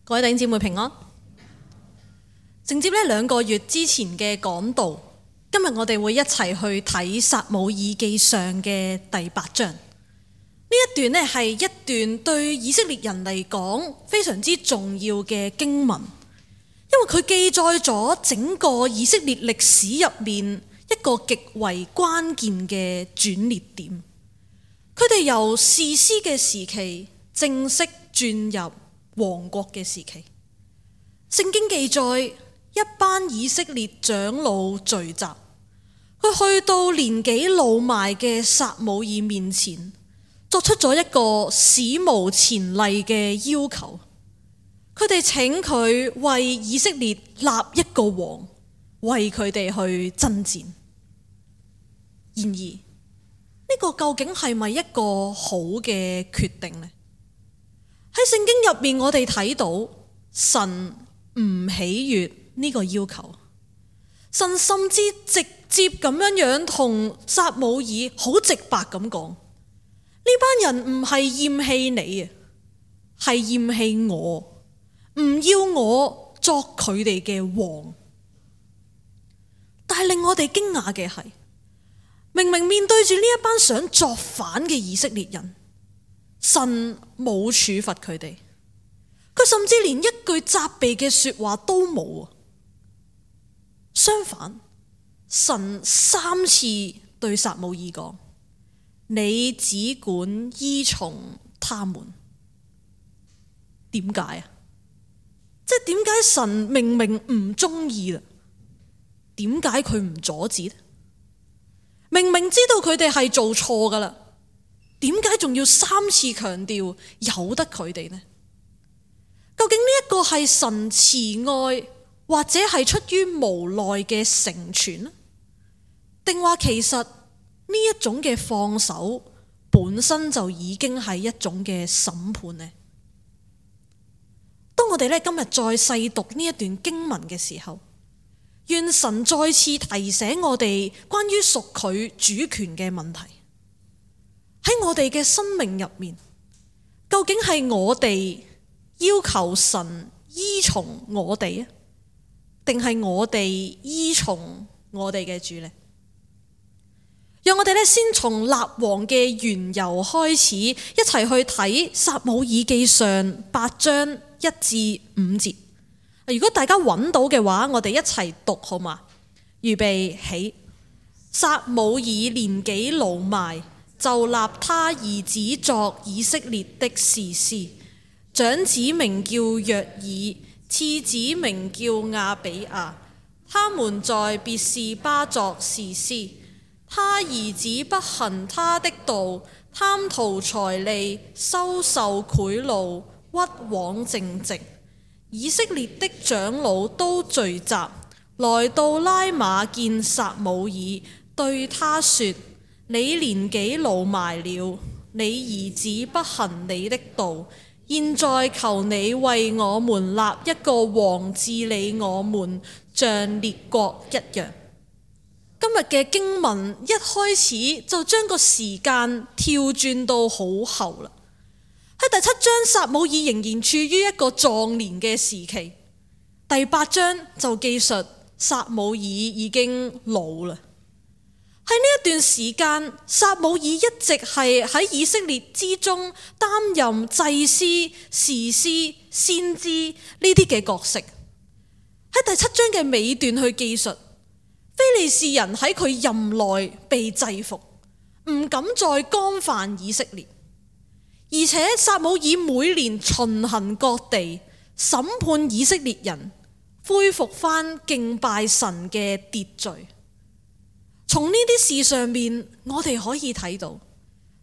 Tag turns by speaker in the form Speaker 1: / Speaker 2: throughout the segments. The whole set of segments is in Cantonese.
Speaker 1: 各位弟兄姊妹平安。承接呢2個月之前嘅講道，今日我哋會一齊去睇撒母耳記上嘅第8章。呢一段呢係一段對以色列人嚟講非常之重要嘅經文，因為佢記載咗整個以色列歷史入面一個極為關鍵嘅轉捩點。佢哋由士師嘅時期正式轉入王國嘅時期。聖經記載一班以色列長老聚集，佢去到年紀老邁嘅撒母耳面前，作出咗一個史無前例嘅要求。佢哋請佢為以色列立一個王，為佢哋去爭戰。然而呢個究竟係咪一個好嘅決定呢？喺聖經入面，我哋睇到神唔喜悅呢個要求，神甚至直接咁樣同撒母耳好直白咁講：呢班人唔係厭棄你啊，係厭棄我，唔要我作佢哋嘅王。但係令我哋驚訝嘅係，明明面對住呢一班想作反嘅以色列人，神冇處罰佢哋，佢甚至連一句責備嘅說話都冇。相反，神3次對撒母耳講：你只管依從他們。點解啊？即係點解神明明唔中意啦？點解佢唔阻止呢？明明知道佢哋係做錯噶啦，點解仲要3次強調由得佢哋呢？究竟呢一個係神慈愛，或者係出於無奈嘅成全呢？定話其實呢一種嘅放手本身就已經係一種嘅審判呢？當我哋今日再細讀呢一段經文嘅時候，願神再次提醒我哋關於屬佢主權嘅問題。喺我哋嘅生命入面，究竟係我哋要求神依從我哋啊，定係我哋依從我哋嘅主呢？讓我哋先從立王嘅緣由開始，一齊去睇撒母耳記上8章1至5節。如果大家揾到嘅話，我哋一齊讀好嘛？預備起。撒母耳年紀老邁，就立他兒子作以色列的士師，長子名叫約爾，次子名叫亞比亞。他們在別是巴作士師。他兒子不行他的道，貪圖財利，收受賄賂，屈枉正直。以色列的長老都聚集，來到拉馬見撒母耳，對他說：你年紀老邁了，你兒子不行你的道，現在求你為我們立一個王治理我們，像列國一樣。今日嘅經文一開始就將個時間跳轉到好後啦。喺第7章，撒母耳仍然處於一個壯年嘅時期。第8章就記述撒母耳已經老啦。喺呢一段時間，撒母耳一直係喺以色列之中擔任祭司、士師、先知呢啲嘅角色。喺第7章嘅尾段去記述，非利士人喺佢任內被制服，唔敢再干犯以色列。而且撒母耳每年巡行各地，審判以色列人，恢復翻敬拜神嘅秩序。從呢啲事上面，我哋可以睇到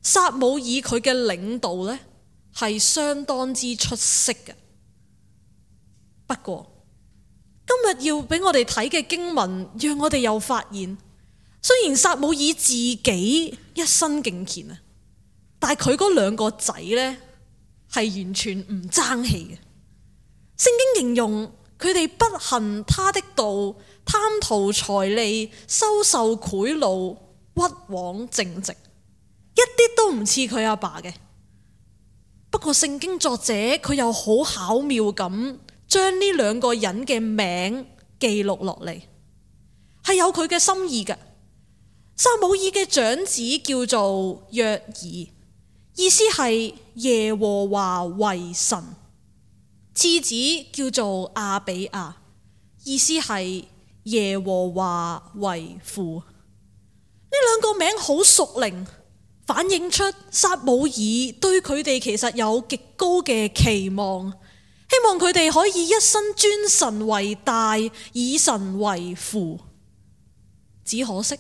Speaker 1: 撒母耳佢嘅領導呢係相當之出色嘅。不過今日要俾我哋睇嘅經文，讓我哋又發現，雖然撒母耳自己一生敬虔啊，但係佢嗰2個仔呢，係完全唔爭氣嘅。聖經形容佢哋不行他的道，貪圖財利，收受賄賂，屈枉正直，一啲都唔似佢阿爸嘅。不過聖經作者佢又好巧妙咁將呢兩個人嘅名記錄落嚟，係有佢嘅心意嘅。撒母耳嘅長子叫做約珥，意思係耶和華為神；次子叫做亞比亞，意思係耶和華為父。呢兩個名好屬靈，反映出撒母耳對佢哋其實有極高嘅期望，希望佢哋可以一生尊神為大，以神為父。只可惜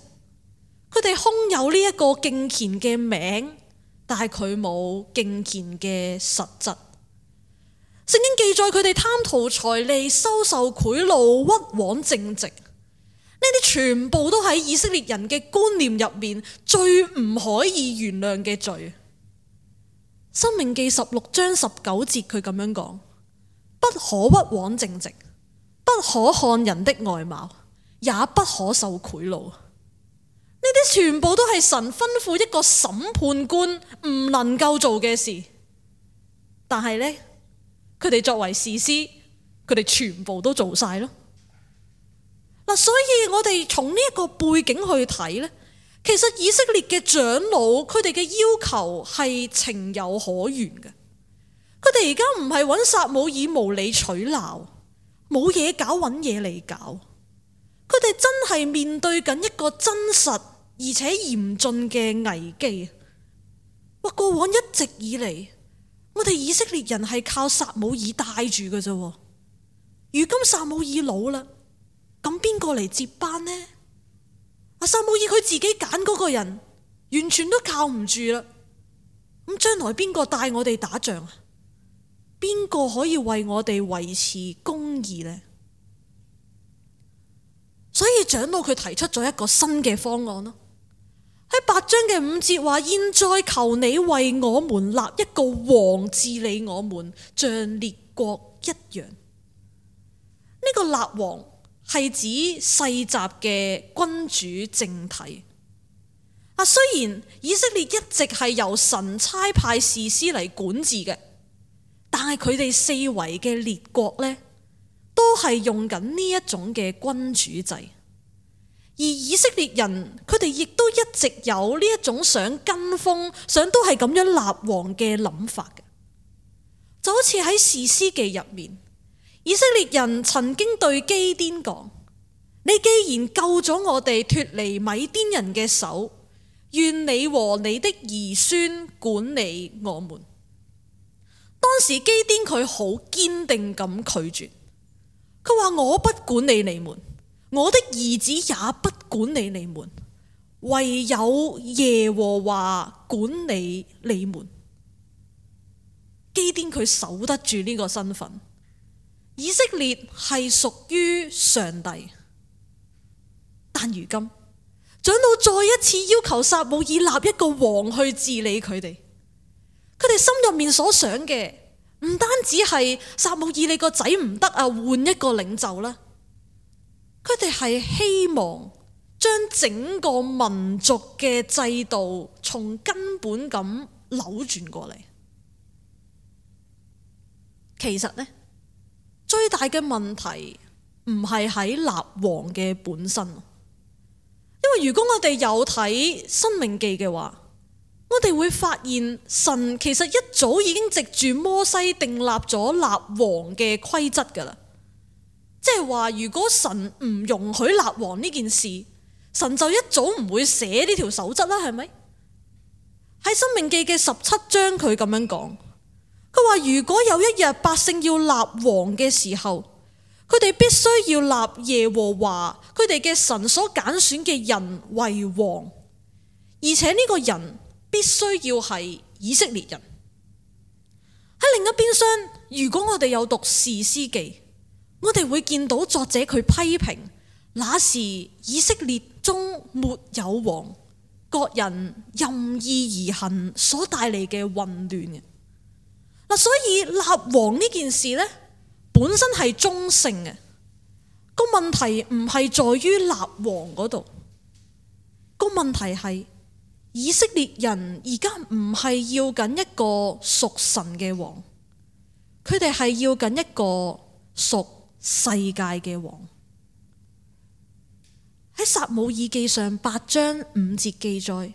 Speaker 1: 佢哋空有呢一個敬虔嘅名，但係佢冇敬虔嘅實質。聖經記載佢哋貪圖財利、收受賄賂、屈枉正直，呢啲全部都喺以色列人嘅觀念入面最唔可以原諒嘅罪。申命記16章19節佢咁樣講：不可屈枉正直，不可看人的外貌，也不可受賄賂。呢啲全部都係神吩咐一個審判官唔能夠做嘅事，但係呢，佢哋作為士師，佢哋全部都做晒咯。嗱，所以我哋從呢一個背景去睇呢，其實以色列嘅長老佢哋嘅要求係情有可原嘅。佢哋而家唔係揾撒母耳無理取鬧，冇嘢搞揾嘢嚟搞，佢哋真係面對緊一個真實而且嚴峻嘅危機。過往一直以嚟，我哋以色列人係靠撒母耳帶住嘅啫。如今撒母耳老啦，咁邊個嚟接班呢？撒母耳佢自己揀嗰個人，完全都靠唔住啦。咁將來邊個帶我哋打仗啊？邊個可以為我哋維持公義呢？所以長老佢提出咗一個新嘅方案咯。喺8章嘅5節話：現在求你為我們立一個王治理我們，像列國一樣。呢個立王係指世襲嘅君主政體。雖然以色列一直係由神差派士師嚟管治嘅，但係佢哋四圍嘅列國呢，都係用緊呢一種嘅君主制。而以色列人佢哋亦都一直有呢一種想跟風、想都係咁樣立王嘅諗法嘅。就好似喺士師記入面，以色列人曾經對基甸講：你既然救咗我哋脫離米甸人嘅手，願你和你的兒孫管理我們。當時基甸佢好堅定咁拒絕，佢話：我不管理你們，我的兒子也不管理你們，唯有耶和華管理你們。基甸佢守得住呢個身份，以色列係屬於上帝。但如今長老再一次要求撒母耳立一個王去治理佢哋，佢哋心入面所想嘅唔單止係撒母耳你個仔唔得啊，換一個領袖啦。佢哋係希望將整個民族嘅制度從根本咁扭轉過嚟。其實呢，最大嘅問題唔係喺立王嘅本身，因為如果我哋有睇申命記嘅話，我哋會發現神其實一早已經藉住摩西訂立咗立王嘅規則噶啦。即係話，如果神唔容許立王呢件事，神就一早唔會寫呢條守則啦，係咪？喺申命記嘅17章佢咁樣講，佢話如果有一日百姓要立王嘅時候，佢哋必須要立耶和華佢哋嘅神所揀選嘅人為王，而且呢個人必須要係以色列人。喺另一邊廂，如果我哋有讀士師記，我哋會見到作者佢批評那時以色列中沒有王，各人任意而行所帶嚟嘅混亂嘅。所以立王呢件事呢，本身係中性嘅，個問題唔係在於立王嗰度，個問題係以色列人而家唔係要緊一個屬神嘅王，佢哋係要緊一個屬世界嘅王。喺撒母耳記上8章5節記載，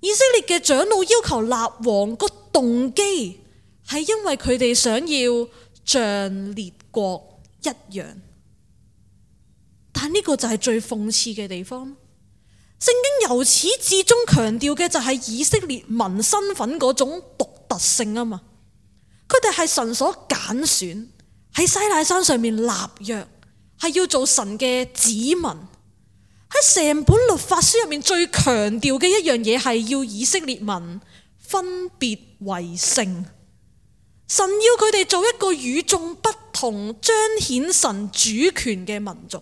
Speaker 1: 以色列嘅長老要求立王個動機係因為佢哋想要像列國一樣，但呢個就係最諷刺嘅地方。聖經由始至終強調嘅就係以色列民身份嗰種獨特性啊嘛，佢哋係神所揀選，喺西奈山上面立約，係要做神嘅子民。喺成本律法書入面最強調嘅一樣嘢係要以色列民分別為聖，神要佢哋做一個與眾不同、彰顯神主權嘅民族。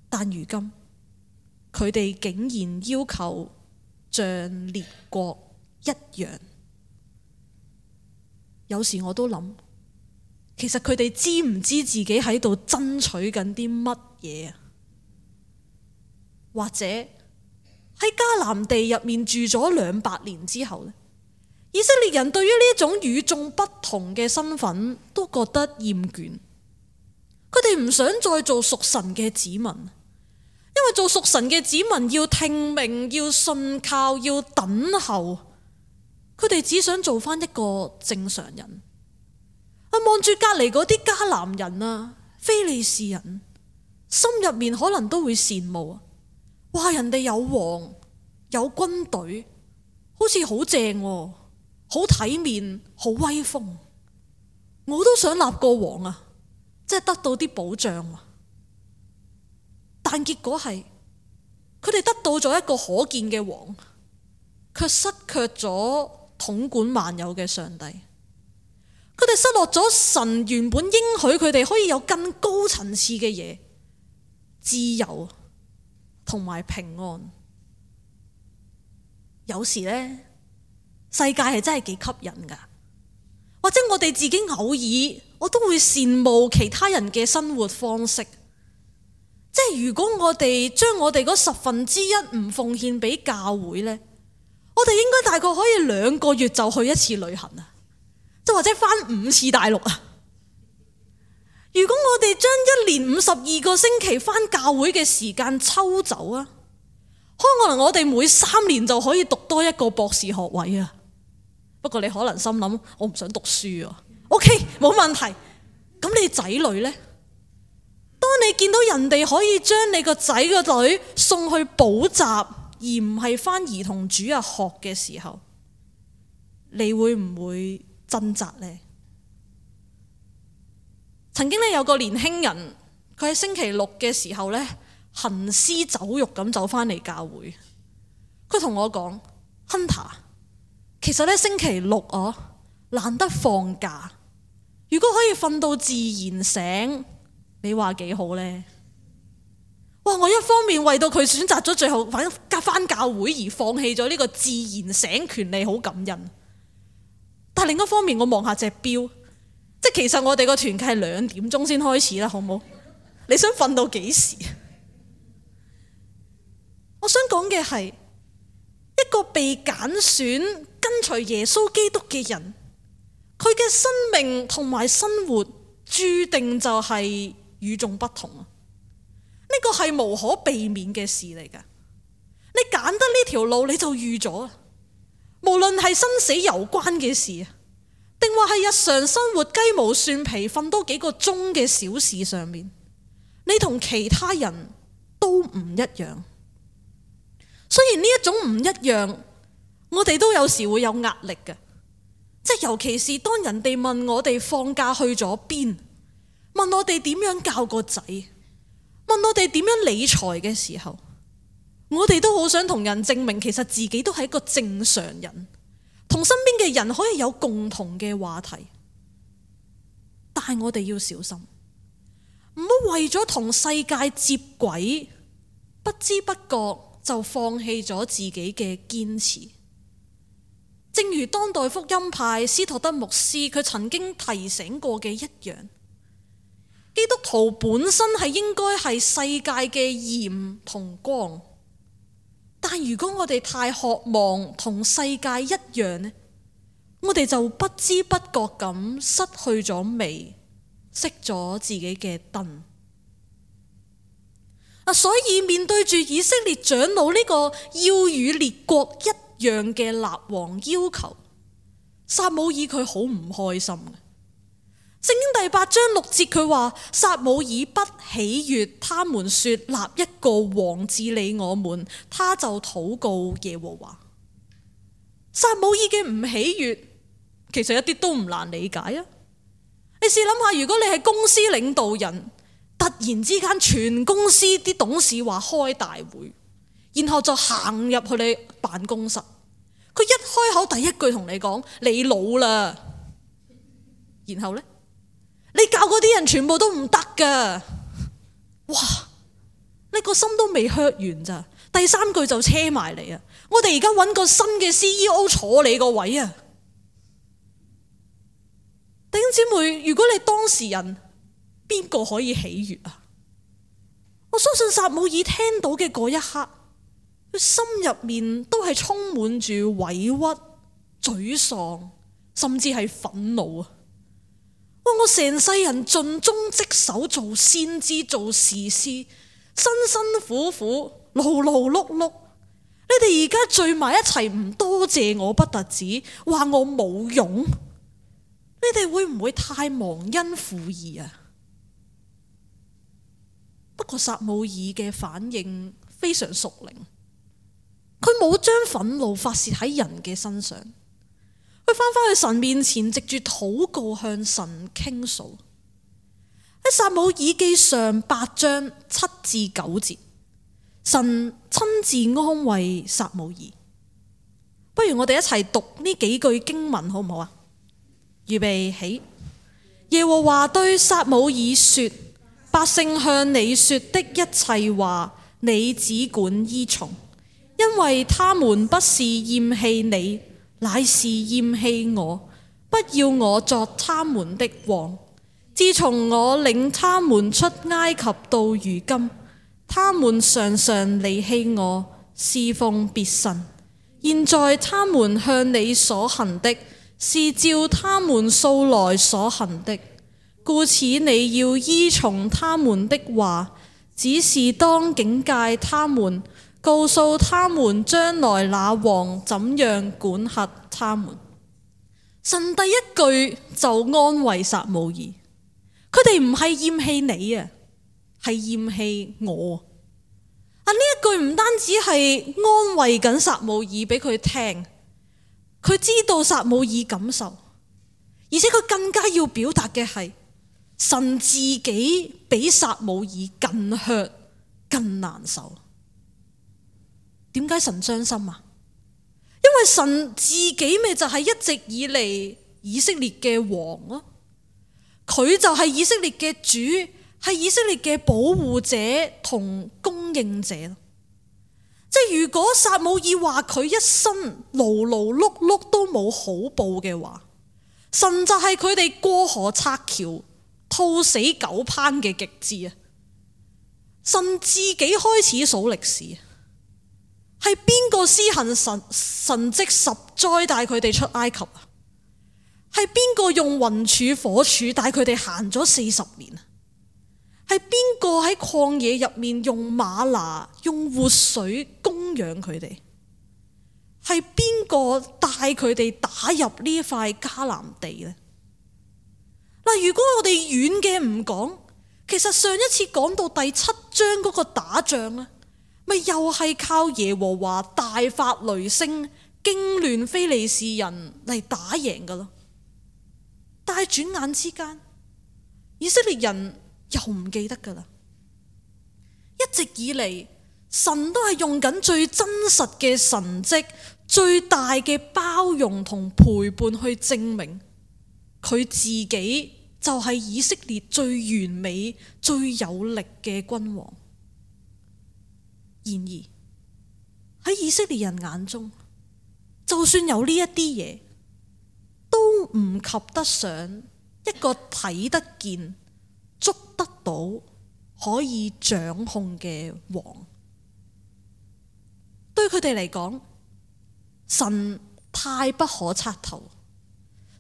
Speaker 1: 但如今佢哋竟然要求像列國一樣，有時我都諗，其實佢哋知唔知自己喺度爭取緊啲乜嘢啊？或者喺迦南地入面住咗200年之後呢，以色列人對於呢一種與眾不同嘅身份都覺得厭倦，佢哋唔想再做屬神嘅子民，因為做屬神嘅子民要聽命、要信靠、要等候，佢哋只想做翻一個正常人。望住隔離嗰啲迦南人啊、非利士人，心入面可能都會羨慕啊！哇！人哋有王有軍隊，好似好正喎，好體面，好威風。我都想立個王啊，即係得到啲保障啊。但結果係佢哋得到咗一個可見嘅王，卻失卻咗統管萬有嘅上帝。佢哋失落咗神原本應許佢哋可以有更高層次嘅嘢，自由同埋平安。有時呢，世界係真係幾吸引噶，或者我哋自己偶爾我都會羨慕其他人嘅生活方式。即係如果我哋將我哋嗰1/10唔奉獻俾教會呢，我哋應該大概可以2個月就去一次旅行啊，即或者返5次大陸啊。如果我哋將1年52個星期返教會嘅時間抽走啊，可能我哋每3年就可以讀多一個博士學位啊。不過你可能心諗，我唔想讀書啊。OK， 冇問題。咁你仔女呢？當你見到人哋可以將你個仔個女送去補習，而唔係返兒童主日學嘅時候，你會唔會掙扎呢？曾經有個年輕人，佢喺星期六嘅時候呢，行屍走肉咁走返嚟教會。佢同我講，Hunter， 其實呢星期六難得放假，如果可以瞓到自然醒，你話幾好呢？哇！我一方面為到佢選擇咗最後返教會而放棄咗呢個自然醒權利，好感恩。但另一方面，我望下隻錶，即係其實我哋個團契係2點鐘先開始啦，好唔好？你想瞓到幾時？我想講嘅係一個被揀選跟隨耶穌基督嘅人，佢嘅生命同埋生活注定就係與眾不同啊！呢個係無可避免嘅事嚟㗎。你揀得呢條路，你就預咗，無論係生死攸關嘅事，定話係日常生活雞毛蒜皮瞓多幾個鐘嘅小事上面，你同其他人都唔一樣。雖然呢一種唔一樣，我哋都有時會有壓力嘅，即係尤其是當人哋問我哋放假去咗邊，問我哋點樣教個仔，問我哋點樣理財嘅時候，我哋都好想同人證明其實自己都係一個正常人，同身邊嘅人可以有共同嘅話題。但係我哋要小心，唔好為咗同世界接軌，不知不覺就放棄咗自己嘅堅持。正如當代福音派斯托德牧師佢曾經提醒過嘅一樣，基督徒本身係應該係世界嘅鹽同光，但如果我哋太渴望同世界一樣呢，我哋就不知不覺咁失去咗味，熄咗自己嘅燈。所以面對住以色列長老呢個要與列國一樣嘅立王要求，撒母耳佢好唔開心嘅。聖經第8章6節佢話，撒母耳不喜悅他們說立一個王治理我們，他就禱告耶和華。撒母耳嘅唔喜悅其實一啲都唔難理解啊！你試諗下，如果你係公司領導人，突然之間全公司啲董事話開大會，然後就行入去你辦公室，佢一開口第一句同你講你老啦，然後呢，你教嗰啲人全部都唔得噶，哇！你個心都未 hurt 完咋，第3句就車埋嚟啊！我哋而家揾個新嘅 CEO 坐你個位啊！弟兄姊妹，如果你當事人，邊個可以喜悅啊？我相信撒母耳聽到嘅嗰一刻，佢心入面都係充滿住委屈、沮喪，甚至係憤怒啊！我成世人盡忠職守做先知做士師，辛辛苦苦勞勞碌碌，你哋而家聚埋一齊唔多謝我不特止，話我冇用，你哋會唔會太忘恩負義啊？不過撒母耳嘅反應非常屬靈，佢冇將憤怒發洩喺人嘅身上，佢返去神面前，藉住禱告向神傾訴。喺撒母耳記上8章7至9節，神親自安慰撒母耳。不如我哋一齊讀呢幾句經文好唔好啊？預備起。耶和華對撒母耳說，百姓向你說的一切話，你只管依從，因為他們不是厭棄你，乃是厭棄我，不要我作他們的王。自從我領他們出埃及到如今，他們常常離棄我，侍奉別神。現在他們向你所行的，是照他們素來所行的，故此你要依從他們的話，只是當警戒他們，告訴他們將來那王怎樣管轄他們。神第一句就安慰撒母耳，佢哋唔係厭棄你啊，係厭棄我。呢一句唔單止係安慰緊撒母耳俾佢聽，佢知道撒母耳感受，而且佢更加要表達嘅係神自己比撒母耳更 hurt 更難受。點解神傷心啊？因為神自己咪就係一直以嚟以色列嘅王咯，佢就係以色列嘅主，係以色列嘅保護者同供應者。即係如果撒母耳話佢一生勞勞碌碌都冇好報嘅話，神就係佢哋過河拆橋、兔死狗烹嘅極致啊！神自己開始數歷史，係邊個施行神蹟10災帶佢哋出埃及啊？係邊個用雲柱火柱帶佢哋行咗40年啊？係邊個喺曠野入面用嗎哪用活水供養佢哋？係邊個帶佢哋打入呢一塊迦南地呢？嗱，如果我哋遠嘅唔講，其實上一次講到第7章嗰個打仗啊，咪又係靠耶和華大發雷聲，驚亂非利士人嚟打贏噶咯。但係轉眼之間，以色列人又唔記得噶啦。一直以嚟，神都係用緊最真實嘅神蹟，最大嘅包容同陪伴去證明佢自己就係以色列最完美、最有力嘅君王。然而喺以色列人眼中，就算有呢一啲嘢，都唔及得上一個睇得見、捉得到、可以掌控嘅王。對對佢哋嚟講，神太不可測透，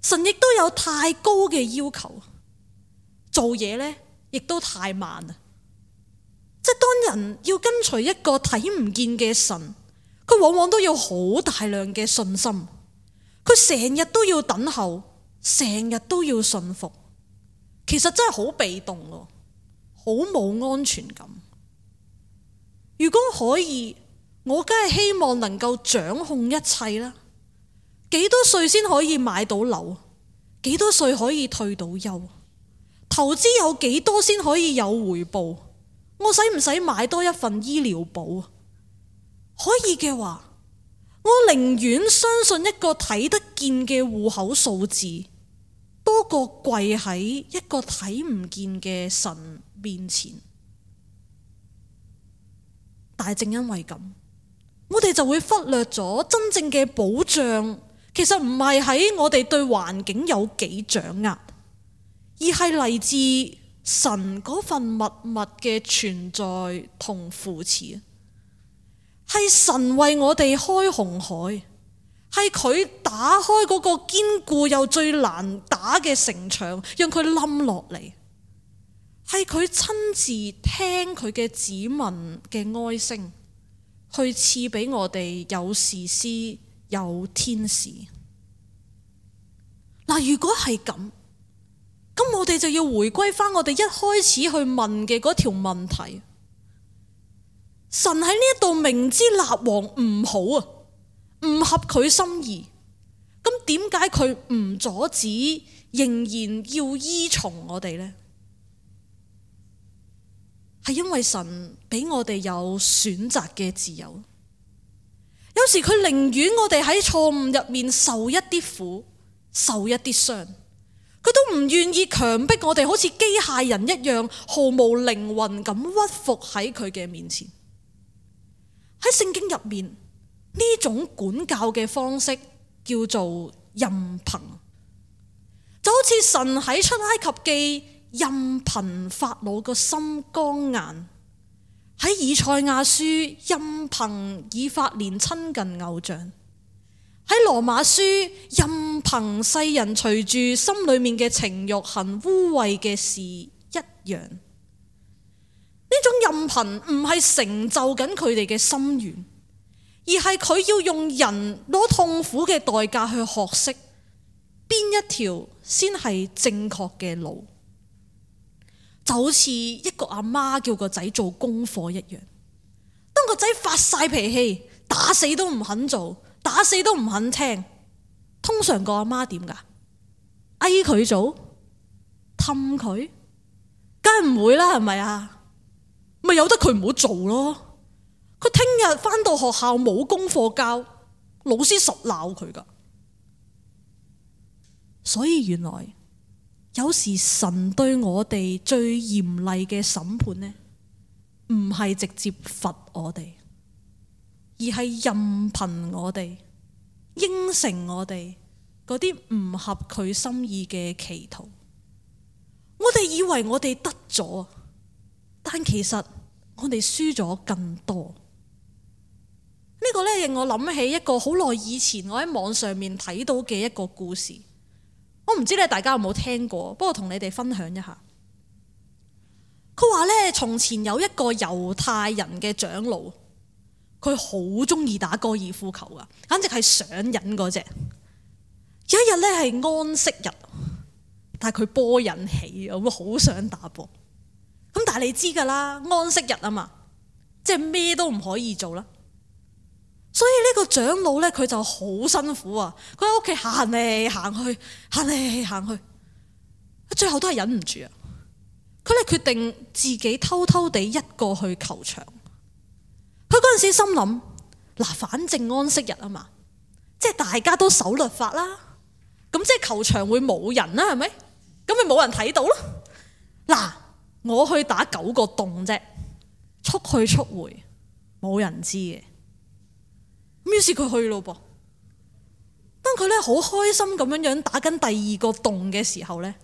Speaker 1: 神亦都有太高嘅要求，做嘢呢亦都太慢啦。即係當人要跟隨一個睇唔見嘅神，佢往往都要好大量嘅信心，佢成日都要等候，成日都要信服，其實真係好被動咯，好冇安全感。如果可以，我梗係希望能夠掌控一切啦。幾多歲先可以買到樓？幾多歲可以退到休？投資有幾多先可以有回報？我使唔使買多一份醫療保？可以嘅話，我寧願相信一個睇得見嘅戶口數字，多過跪喺一個睇唔見嘅神面前。但係正因為咁，我哋就會忽略咗真正嘅保障，其實唔係喺我哋對環境有幾掌握，而係嚟自神嗰份默默嘅存在同扶持。係神為我哋開紅海，係佢打開嗰個堅固又最難打嘅城牆，讓佢冧落嚟。係佢親自聽佢嘅子民嘅哀聲，去賜俾我哋有士師有天使。嗱，如果係咁，咁我哋就要回歸翻我哋一開始去問嘅嗰條問題。神喺呢一度明知立王唔好啊，唔合佢心意，咁點解佢唔阻止，仍然要依從我哋呢？係因為神俾我哋有選擇嘅自由。有時佢寧願我哋喺錯誤入面受一啲苦，受一啲傷，佢都唔願意強迫我哋好似機械人一樣毫無靈魂咁屈服喺佢嘅面前。喺聖經入面，呢種管教嘅方式叫做任憑，就好似神喺出埃及記任憑法老個心剛硬，喺以賽亞書任憑以法蓮親近偶像，喺羅馬書任憑世人隨住心裏面嘅情慾行污穢嘅事一樣。呢種任憑唔係成就緊佢哋嘅心願，而係佢要用人攞痛苦嘅代價去學識邊一條先係正確嘅路。就好似一個阿媽叫個仔做功課一樣，當個仔發晒脾氣，打死都唔肯做，打死都唔肯聽，通常個阿媽點㗎？嗌佢做，氹佢，梗係唔會啦，係咪啊？咪由得佢唔好做咯。佢聽日返到學校冇功課交，老師實鬧佢㗎。所以原來有時神對我哋最嚴厲嘅審判呢，唔係直接罰我哋，而係任憑我哋，應承我哋嗰啲唔合佢心意嘅祈禱。我哋以為我哋得咗，但其實我哋輸咗更多。呢個咧令我諗起一個好耐以前我喺網上面睇到嘅一個故事。我唔知咧大家有冇聽過，不過同你哋分享一下。佢話咧，從前有一個猶太人嘅長老，佢好中意打高爾夫球噶，簡直係上癮嗰隻。有一日咧係安息日，但係佢波癮起，咁好想打波。咁但係你知噶啦，安息日啊嘛，即係咩都唔可以做啦。所以呢個長老咧，佢就好辛苦啊！佢喺屋企行嚟行去，行嚟行去，最後都係忍唔住啊！佢咧決定自己偷偷地一個去球場。佢嗰陣時心諗，嗱，反正安息日啊嘛，即係大家都守律法啦，咁即係球場會冇人啦，係咪？咁咪冇人睇到咯。嗱，我去打9個洞啫，速去速回，冇人知嘅。於是佢去咯噃。當佢咧好開心咁樣樣打緊第2個洞嘅時候咧，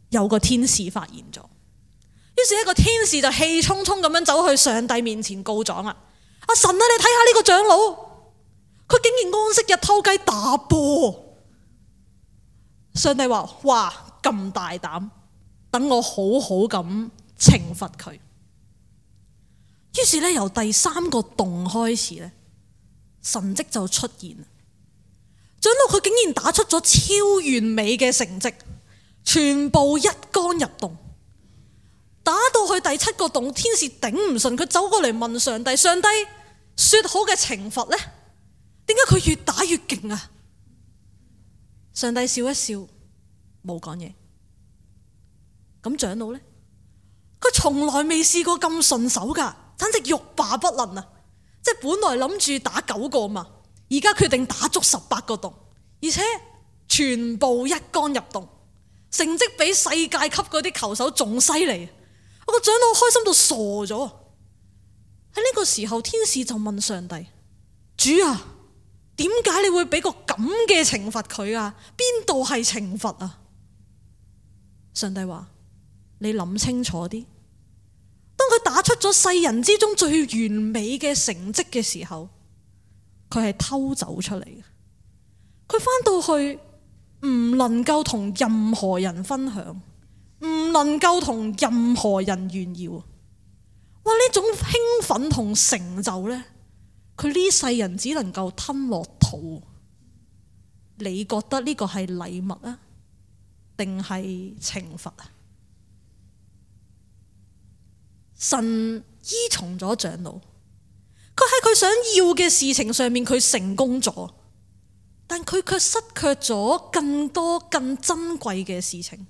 Speaker 1: 有個天使發現咗。於是一個天使就氣沖沖咁樣走去上帝面前告狀啦。啊，神啊，你睇下呢個長老，佢竟然安息日偷雞打波。上帝話：哇，咁大膽，等我好好咁懲罰佢。於是咧，由第3個洞開始咧，神蹟就出現。長老佢竟然打出咗超完美嘅成績，全部一桿入洞。打到去第7個洞，天使頂唔順，佢走過嚟問上帝：上帝，說好嘅懲罰呢？點解佢越打越勁啊？上帝笑一笑，冇講嘢。咁長老呢？佢從來未試過咁順手噶，簡直欲罷不能啊！即係本來諗住打9個嘛，而家決定打足18個洞，而且全部一桿入洞，成績比世界級嗰啲球手仲犀利。我個長老開心到傻咗。喺呢個時候，天使就問上帝：主啊，點解你會俾個咁嘅懲罰佢啊？邊度係懲罰啊？上帝話：你諗清楚啲。當佢打出咗世人之中最完美嘅成績嘅時候，佢係偷走出嚟嘅。佢翻到去唔能夠同任何人分享，唔能夠同任何人炫耀。哇！呢種興奮同成就呢，佢呢世人只能夠吞落肚。你覺得呢個係禮物啊，定係懲罰啊？神依從咗長老，佢喺佢想要嘅事情上面佢成功咗，但佢卻失卻咗更多更珍貴嘅事情。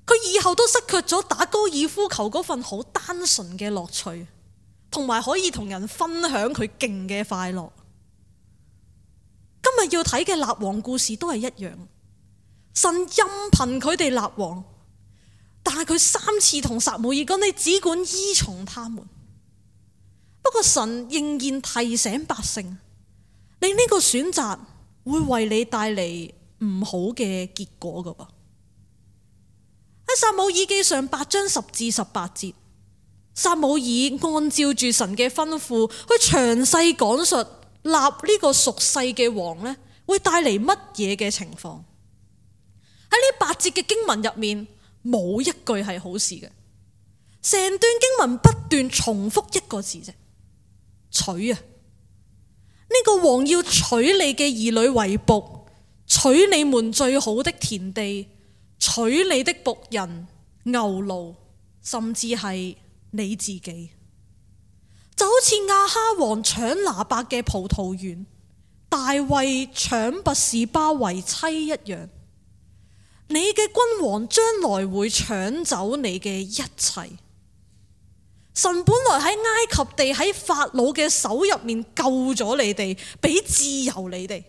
Speaker 1: 佢以後都失卻咗打高爾夫球嗰份好單純嘅樂趣，同埋可以同人分享佢勁嘅快樂。今日要睇嘅立王故事都係一樣，神任憑佢哋立王，但係佢3次同撒母耳講：你只管依從他們。不過神仍然提醒百姓，你呢個選擇會為你帶嚟唔好嘅結果噶噃。喺撒母耳記上8章10至18節，撒母耳按照住神嘅吩咐去詳細講述立呢個屬世嘅王呢，會帶嚟乜嘢嘅情況。喺呢8節嘅經文入面，冇一句係好事嘅，成段經文不斷重複一個字啫，娶啊！呢個王要娶你嘅兒女為僕，娶你們最好的田地，娶你的僕人、牛驢，甚至係你自己，就好似亞哈王搶拿伯嘅葡萄園，大衛搶拔士巴為妻一樣。你嘅君王將來會搶走你嘅一切。神本來喺埃及地喺法老嘅手入面救咗你哋，俾自由你哋，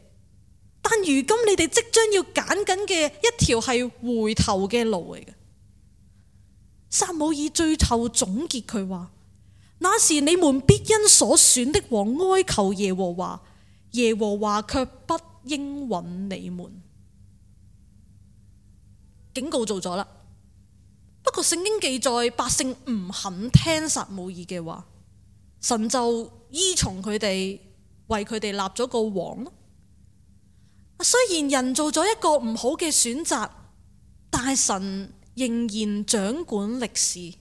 Speaker 1: 但如今你哋即將要揀緊嘅一條係回頭嘅路嚟嘅。撒母耳最後總結佢話：那時你們必因所選的王哀求耶和華，耶和華卻不應允你們。警告做咗啦。不過聖經記載百姓唔肯聽撒母耳嘅話，神就依從佢哋，為佢哋立咗個王咯。雖然人做咗一個唔好嘅選擇，但係神仍然掌管歷史。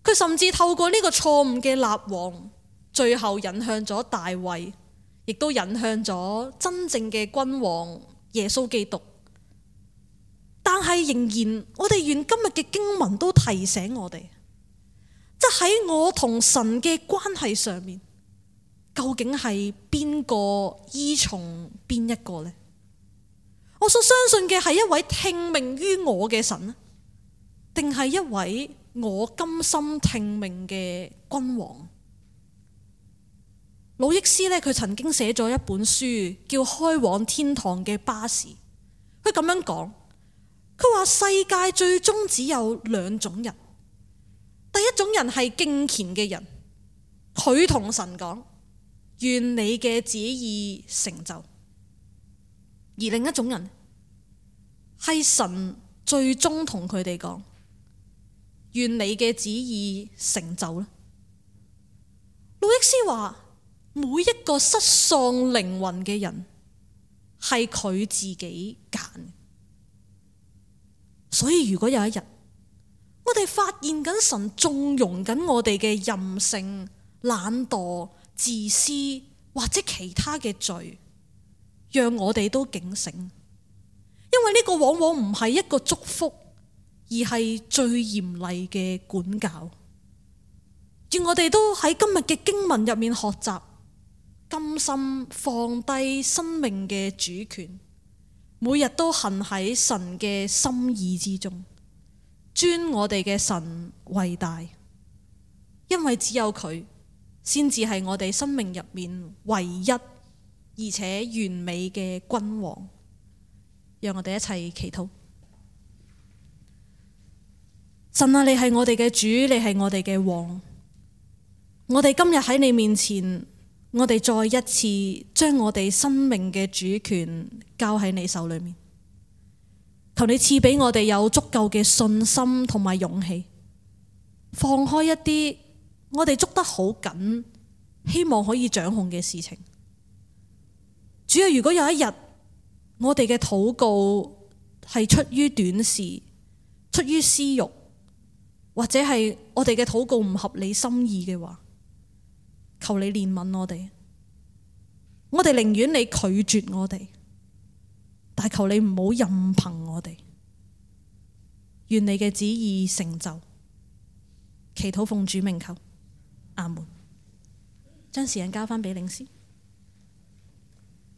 Speaker 1: 佢甚至透過呢個錯誤嘅立王，最後引向咗大衛，亦都引向咗真正嘅君王耶穌基督。但係仍然，我哋願今日嘅經文都提醒我哋，即喺我同神嘅關係上面，究竟係邊個依從邊一個呢？我所相信嘅係一位聽命於我嘅神，定係一位我甘心聽命嘅君王？魯益斯佢曾經寫咗一本書，叫《開往天堂嘅巴士》。佢咁樣講。佢話世界最終只有2種人，第一種人係敬虔嘅人，佢同神講：願你嘅旨意成就；而另一種人係神最終同佢哋講：願你嘅旨意成就啦。路易斯話，每一個失喪靈魂嘅人係佢自己揀。所以如果有一日我哋發現緊神縱容緊我哋嘅任性、懶惰、自私或者其他嘅罪，讓我哋都警醒，因為呢個往往唔係一個祝福，而係最嚴厲嘅管教。願我哋都喺今日嘅經文入面學習，甘心放低生命嘅主權，每日都行喺神嘅心意之中，尊我哋嘅神為大，因為只有佢先至係我哋生命入面唯一而且完美嘅君王。讓我哋一齊祈禱。神啊，你係我哋嘅主，你係我哋嘅王。我哋今日喺你面前，我哋再一次將我哋生命嘅主權交喺你手裏面。求你賜俾我哋有足夠嘅信心同埋勇氣，放開一啲我哋捉得好緊，希望可以掌控嘅事情。主要如果有一日我哋嘅禱告係出於短視、出於私欲，或者係我哋嘅禱告唔合你心意嘅話，求你憐憫我哋。我哋寧願你拒絕我哋，但求你唔好任憑我哋。願你嘅旨意成就。祈禱奉主名求，阿門。將時間交翻俾領詩。